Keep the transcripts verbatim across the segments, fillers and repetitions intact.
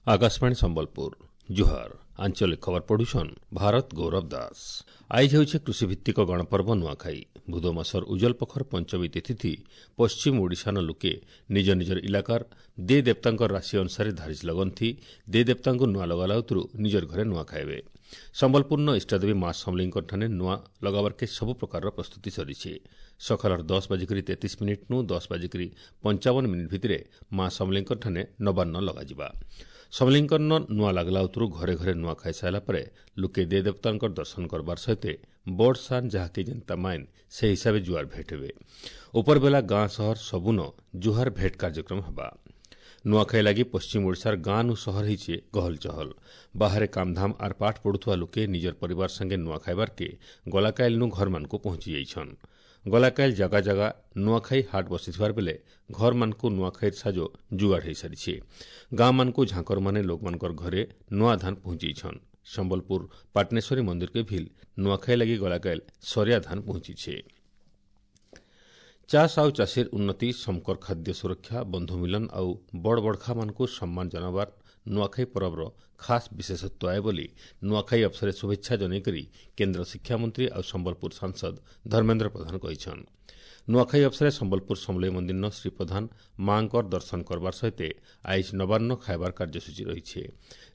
Akashvani Sambalpur ଜୁହାର ଆଞ୍ଚଳିକ ଖବର ପଢୁଛନ୍ ଭାରତ ଗୌରବ ଦାସ। ଆଇଜ ହେଉଛି କୃଷିଭିତ୍ତିକ ଗଣପର୍ବ ନୂଆଖାଇ। ଭୁଦ ମାସର ଉଜଲ ପଖର ପଞ୍ଚମୀ ତିଥି ପଶ୍ଚିମ ଓଡ଼ିଶାନ ଲୋକେ ନିଜ ନିଜର ଇଲାକାର ଦେ ଦେବତାଙ୍କ ରାଶି ଅନୁସାରେ ଧାରିଜ ଲଗନ୍ତି। ଦେ ଦେବତାଙ୍କୁ ନୂଆ ଲଗାଲାଉତରୁ ନିଜର ଘରେ ନୂଆ ଖାଇବେ। ସମ୍ବଲପୁରନ ଇଷ୍ଟଦେବୀ ମା ସମଲେଇଙ୍କଠାରେ ନୂଆ ଲଗାବାର୍କେ ସବୁ ପ୍ରକାରର ପ୍ରସ୍ତୁତି ସରିଛି। ସକାଳର ଦଶ ବାଜିକରି ତେତିଶ ମିନିଟ୍ନୁ ଦଶ ବାଜିକରି ପଞ୍ଚାବନ ମିନିଟ୍ ଭିତରେ ମା ସମଲେଇଙ୍କଠାରେ ନବାନ୍ନ ଲଗାଯିବା। ସମଲେଇଙ୍କର ନୂଆ ଲାଗଲା ଉତରୁ ଘରେ ଘରେ ନୂଆ ଖାଇସାରିଲା ପରେ ଲୋକେ ଦେ ଦେବତାଙ୍କର ଦର୍ଶନ କରବାର ସହିତ ବଡ଼ ସାନ୍ ଯାହାକି ଯେନ୍ତା ମାଇନ୍ ସେ ହିସାବେ ଜୁଆର ଭେଟ ହେବେ। ଉପରବେଲା ଗାଁ ସହର ସବୁନ ଜୁହାର ଭେଟ କାର୍ଯ୍ୟକ୍ରମ ହେବା। ନୂଆଖାଇ ଲାଗି ପଶ୍ଚିମ ଓଡ଼ିଶାର ଗାଁ ନୁ ସହର ହେଇଛେ ଗହଲ ଚହଲ। ବାହାରେ କାମଧାମ ଆର୍ ପାଠ ପଢୁଥିବା ଲୋକେ ନିଜର ପରିବାର ସାଙ୍ଗେ ନୂଆ ଖାଇବାର୍କେ ଗଲାକାଇଲନୁ ଘରମାନଙ୍କୁ ପହଞ୍ଚି ଯାଇଛନ୍। ଗଲାକାଇଲ ଜାଗା ଜାଗା ନୂଆଖାଇ ହାଟ ବସିଥିବାର ବେଲେ ଘରମାନଙ୍କୁ ନୂଆଖାଇର ସାଜ ଯୁଗାଡ଼ ହୋଇସାରିଛି। ଗାଁମାନଙ୍କୁ ଝାଙ୍କରମାନେ ଲୋକମାନଙ୍କର ଘରେ ନୂଆ ଧାନ ପହଞ୍ଚେଇଛନ୍। ସମ୍ବଲପୁର ପାଟନେଶ୍ୱରୀ ମନ୍ଦିରକେ ଭିଲ୍ ନୂଆଖାଇ ଲାଗି ଗଲାକାଇଲ ସରିଆ ଧାନ ପହଞ୍ଚିଛେ। ଚାଷ ଆଉ ଚାଷୀର ଉନ୍ନତି, ସମକର ଖାଦ୍ୟ ସୁରକ୍ଷା, ବନ୍ଧୁ ମିଲନ ଆଉ ବଡ଼ ବଡ଼ଖାମାନଙ୍କୁ ସମ୍ମାନ ଜଣାବାର ନୂଆଖାଇ ପରବର ଖାସ୍ ବିଶେଷତ୍ୱ ଆଏ ବୋଲି ନୂଆଖାଇ ଅବସରରେ ଶୁଭେଚ୍ଛା ଜଣାଇକରି କେନ୍ଦ୍ର ଶିକ୍ଷାମନ୍ତ୍ରୀ ଆଉ ସମ୍ବଲପୁର ସାଂସଦ ଧର୍ମେନ୍ଦ୍ର ପ୍ରଧାନ କହିଛନ୍। ନୂଆଖାଇ ଅବସରରେ ସମ୍ବଲପୁର ସମଲେଇ ମନ୍ଦିରନ ଶ୍ରୀ ପ୍ରଧାନ ମାଙ୍କର ଦର୍ଶନ କରବାର ସହିତ ଆଇଜ ନବାନ୍ନ ଖାଇବାର କାର୍ଯ୍ୟସୂଚୀ ରହିଛି।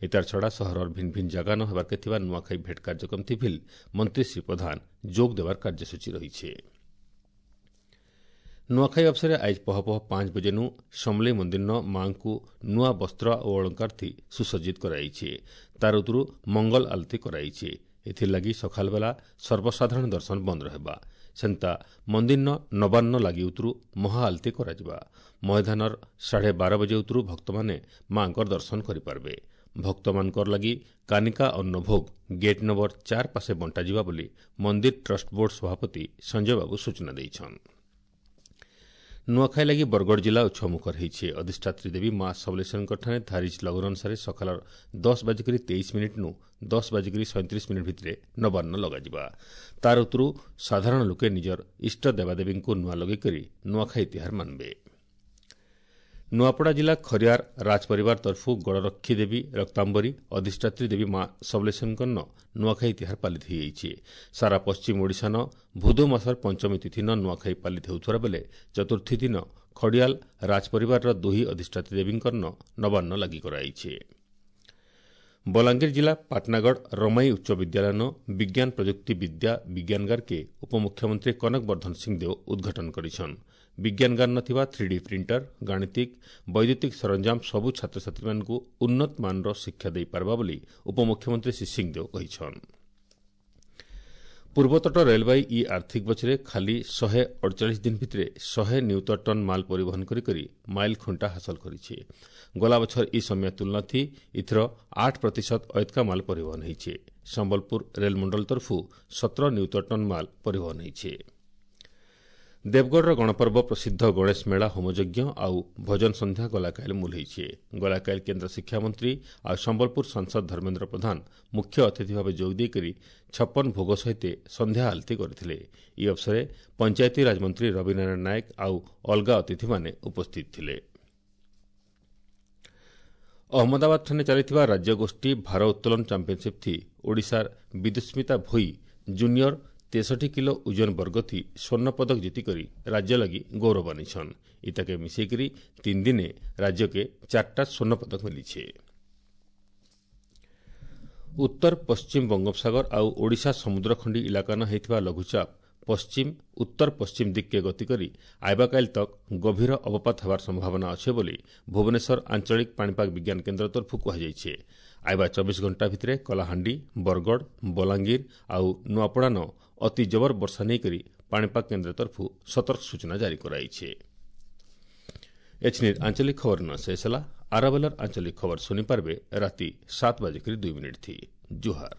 ଏତାର ଛଡ଼ା ସହରର ଭିନ୍ନ ଭିନ୍ନ ଜାଗା ନ ହେବାର୍କେ ଥିବା ନୂଆଖାଇ ଭେଟ କାର୍ଯ୍ୟକ୍ରମ ଥି ଭିଲ୍ ମନ୍ତ୍ରୀ ଶ୍ରୀ ପ୍ରଧାନ ଯୋଗ ଦେବାର କାର୍ଯ୍ୟସୂଚୀ ରହିଛି। ନୂଆଖାଇ ଅବସରରେ ଆଇଜ ପହ ପହ ପାଞ୍ଚ ବଜେନୁ ସମଲେଇ ମନ୍ଦିରନ ମାଙ୍କୁ ନୂଆ ବସ୍ତ୍ର ଓ ଅଳଙ୍କାର ଥି ସୁସଜ୍ଜିତ କରାଯାଇଛି। ତାର ଉତରୁ ମଙ୍ଗଲ ଆଳତୀ କରାଯାଇଛି। ଏଥିର୍ଲାଗି ସକାଳବେଲା ସର୍ବସାଧାରଣ ଦର୍ଶନ ବନ୍ଦ ରହିବା। ସେନ୍ତା ମନ୍ଦିରନ ନବାନ୍ନ ଲାଗି ଉତରୁ ମହା ଆଳତୀ କରାଯିବା। ମଇଦାନର ସାଢ଼େ ବାର ବଜେ ଉତରୁ ଭକ୍ତମାନେ ମାଙ୍କର ଦର୍ଶନ କରିପାରିବେ। ଭକ୍ତମାନଙ୍କର ଲାଗି କାନିକା ଅନ୍ନଭୋଗ ଗେଟ୍ ନମ୍ବର ଚାର ପାଶେ ବଣ୍ଟାଯିବା ବୋଲି ମନ୍ଦିର ଟ୍ରଷ୍ଟ ବୋର୍ଡ ସଭାପତି ସଞ୍ଜୟ ବାବୁ ସୂଚନା ଦେଇଛନ୍। ନୂଆଖାଇ ଲାଗି ବରଗଡ଼ ଜିଲ୍ଲା ଉତ୍ସବମୁଖର ହୋଇଛି। ଅଧିଷ୍ଠାତ୍ରୀ ଦେବୀ ମା ସମଲେଶ୍ୱରୀଙ୍କଠାରେ ଧାରିଜ ଲଗ୍ନ ଅନୁସାରେ ସକାଳର ଦଶ ବାଜିକରି ତେଇଶ ମିନିଟ୍ନୁ ଦଶ ବାଜିକରି ସଇଁତିରିଶ ମିନିଟ୍ ଭିତରେ ନବାନ୍ନ ଲଗାଯିବା। ତାର ଉତରୁ ସାଧାରଣ ଲୋକେ ନିଜର ଇଷ୍ଟ ଦେବାଦେବୀଙ୍କୁ ନୂଆ ଲଗେଇକରି ନୂଆଖାଇ ତିହାର ମାନବେ। ନୂଆପଡ଼ା ଜିଲ୍ଲା ଖରିଆର ରାଜପରିବାର ତରଫୁ ଗଡ଼ରକ୍ଷୀ ଦେବୀ ରକ୍ତାମ୍ବରୀ ଅଧିଷ୍ଠାତ୍ରୀ ଦେବୀ ମା ସମଲେଶ୍ୱରୀଙ୍କର ନୂଆଖାଇ ତିହାର ପାଳିତ ହୋଇଯାଇଛି। ସାରା ପଶ୍ଚିମ ଓଡ଼ିଶାନ ଭୁଦୁ ମାସର ପଞ୍ଚମୀ ତିଥିନ ନୂଆଖାଇ ପାଳିତ ହେଉଥିବା ବେଲେ ଚତୁର୍ଥୀ ଦିନ ଖଡ଼ିଆଲ ରାଜପରିବାରର ଦୁହି ଅଧିଷ୍ଠାତ୍ରୀ ଦେବୀଙ୍କର ନବାନ୍ନ ଲାଗି କରାଯାଇଛି। ବଲାଙ୍ଗୀର ଜିଲ୍ଲା ପାଟନାଗଡ଼ ରମାଇ ଉଚ୍ଚ ବିଦ୍ୟାଳୟନ ବିଜ୍ଞାନ ପ୍ରଯୁକ୍ତି ବିଦ୍ୟା ବିଜ୍ଞାନଗାରକେ ଉପମୁଖ୍ୟମନ୍ତ୍ରୀ କନକ ବର୍ଦ୍ଧନ ସିଂଦେଓ ଉଦ୍ଘାଟନ କରିଛନ୍। ବିଜ୍ଞାନଗାର ଥିବା ଥ୍ରୀ ଡି ପ୍ରିଣ୍ଟର, ଗାଣିତିକ, ବୈଦ୍ୟୁତିକ ସରଞ୍ଜାମ ସବୁ ଛାତ୍ରଛାତ୍ରୀମାନଙ୍କୁ ଉନ୍ନତ ମାନର ଶିକ୍ଷା ଦେଇପାରିବା ବୋଲି ଉପମୁଖ୍ୟମନ୍ତ୍ରୀ ଶ୍ରୀ ସିଂଦେଓ କହିଛନ୍। ପୂର୍ବତଟ ରେଳବାଇ ଇ ଆର୍ଥିକ ବଛରେ ଖାଲି ଶହେ ଅଡ଼ଚାଳିଶ ଦିନ ଭିତରେ ଶହେ ନିୟୁତ ଟନ୍ ମାଲ ପରିବହନ କରି ମାଇଲ ଖୁଣ୍ଟା ହାସଲ କରିଛି। ଗଲା ବଛର ଇ ସମୟ ତୁଳନା ଥି ଇଥର ଆଠ ପ୍ରତିଶତ ଅୟତ୍କା ମାଲ ପରିବହନ ହୋଇଛି। ସମ୍ବଲପୁର ରେଳମଣ୍ଡଳ ତରଫୁ ସତର ନିୟୁତ ଟନ୍ ମାଲ ପରିବହନ ହୋଇଛି। ଦେବଗଡ଼ର ଗଣପର୍ବ ପ୍ରସିଦ୍ଧ ଗଣେଶ ମେଳା ହୋମଯଜ୍ଞ ଆଉ ଭଜନ ସନ୍ଧ୍ୟା ଗଲାକାଇଲ ମୂଲ ହୋଇଛି। ଗଲାକାଇଲ କେନ୍ଦ୍ର ଶିକ୍ଷାମନ୍ତ୍ରୀ ଆଉ ସମ୍ବଲପୁର ସାଂସଦ ଧର୍ମେନ୍ଦ୍ର ପ୍ରଧାନ ମୁଖ୍ୟ ଅତିଥି ଭାବେ ଯୋଗ ଦେଇକରି ଛପନ ଭୋଗ ସହିତ ସନ୍ଧ୍ୟା ଆଳତୀ କରିଥିଲେ। ଏହି ଅବସରରେ ପଞ୍ଚାୟତିରାଜ ମନ୍ତ୍ରୀ ରବିନାରାୟଣ ନାୟକ ଆଉ ଅଲଗା ଅତିଥିମାନେ ଉପସ୍ଥିତ ଥିଲେ। ଅହମ୍ମଦାବାଦଠାରେ ଚାଲିଥିବା ରାଜ୍ୟଗୋଷ୍ଠୀ ଭାର ଉତ୍ତୋଳନ ଚାମ୍ପିୟନସିପ୍ ଥି ଓଡ଼ିଶାର ବିଦୁସ୍ମିତା ଭୋଇ ଜୁନିୟର ତେଷଠି କିଲୋ ଓଜନ ବର୍ଗ ଥି ସ୍ୱର୍ଣ୍ଣ ପଦକ ଜିତିକରି ରାଜ୍ୟ ଲାଗି ଗୌରବ ଆନିଛନ୍। ଇତାକେ ମିଶେଇକରି ତିନି ଦିନେ ରାଜ୍ୟକେ ଚାରିଟା ସ୍ୱର୍ଣ୍ଣ ପଦକ ମିଳିছে। ଉତ୍ତର ପଶ୍ଚିମ ବଙ୍ଗୋପସାଗର ଆଉ ଓଡ଼ିଶା ସମୁଦ୍ରଖଣ୍ଡି ଇଲାକାନ ହେଇଥିବା ଲଘୁଚାପ ପଶ୍ଚିମ ଉତ୍ତର ପଶ୍ଚିମ ଦିଗକେ ଗତି କରି ଆଇବାକାଇଲ ତକ୍ ଗଭୀର ଅବପାତ ହେବାର ସମ୍ଭାବନା ଅଛି ବୋଲି ଭୁବନେଶ୍ୱର ଆଞ୍ଚଳିକ ପାଣିପାଗ ବିଜ୍ଞାନ କେନ୍ଦ୍ର ତରଫରୁ କୁହାଯାଇଛି। ଆଇବା ଚବିଶ ଘଣ୍ଟା ଭିତରେ କଳାହାଣ୍ଡି, ବରଗଡ଼, ବଲାଙ୍ଗୀର ଆଉ ନୂଆପଡ଼ାନ ଅତି ଜବର ବର୍ଷା ନେଇକରି ପାଣିପାଗ କେନ୍ଦ୍ର ତରଫରୁ ସତର୍କ ସୂଚନା ଜାରି କରାଯାଇଛି। ଏଛିନିର ଆଞ୍ଚଳିକ ଖବର ନ ଶେଷ ହେଲା। ଆରବେଲର ଆଞ୍ଚଳିକ ଖବର ଶୁଣିପାରିବେ ରାତି ସାତ ବାଜିକରି ଦୁଇ ମିନିଟ୍ ଥି। ଜୁହାର।